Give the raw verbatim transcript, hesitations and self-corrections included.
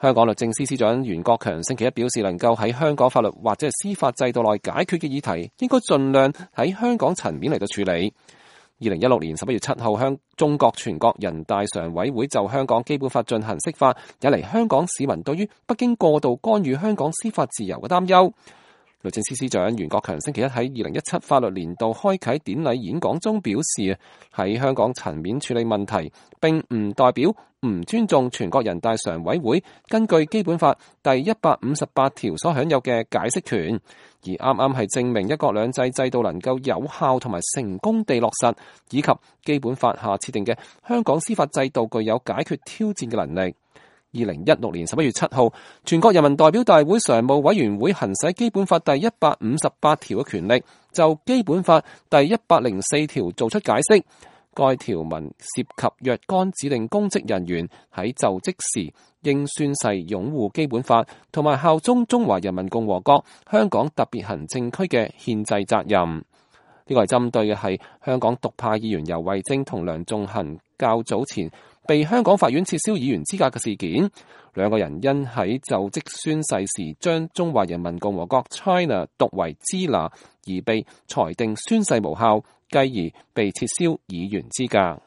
香港律政司司長袁國強星期一表示，能夠喺香港法律或者係司法制度內解決嘅議題，應該盡量喺香港層面嚟到處理。二零一六年十一月七號，香中國全國人大常委會就香港基本法進行釋法，引嚟香港市民對於北京過度干預香港司法自由嘅擔憂。律政司司長袁國強星期一喺二零一七法律年度開啟典禮演講中表示，喺香港層面處理問題，並唔代表唔尊重全國人大常委會根據基本法第一百五十八條所享有嘅解釋權，而啱啱係證明一國兩制制度能夠有效同埋成功地落實，以及基本法下設定嘅香港司法制度具有解決挑戰嘅能力。二零一六年十一月七號，全國人民代表大會常務委員會行使基本法第一百五十八條嘅權力，就基本法第一百零四條作出解釋。該條文涉及若干指定公職人員喺就職時應宣誓擁護基本法同埋效忠中華人民共和國香港特別行政區嘅憲制責任。呢個係針對嘅係香港獨派議員游蕙禎同梁頌恆較早前被香港法院撤銷議員資格嘅事件。兩個人因喺就職宣誓時將中華人民共和國 China 讀為支那，而被裁定宣誓無效，繼而被撤銷議員資格。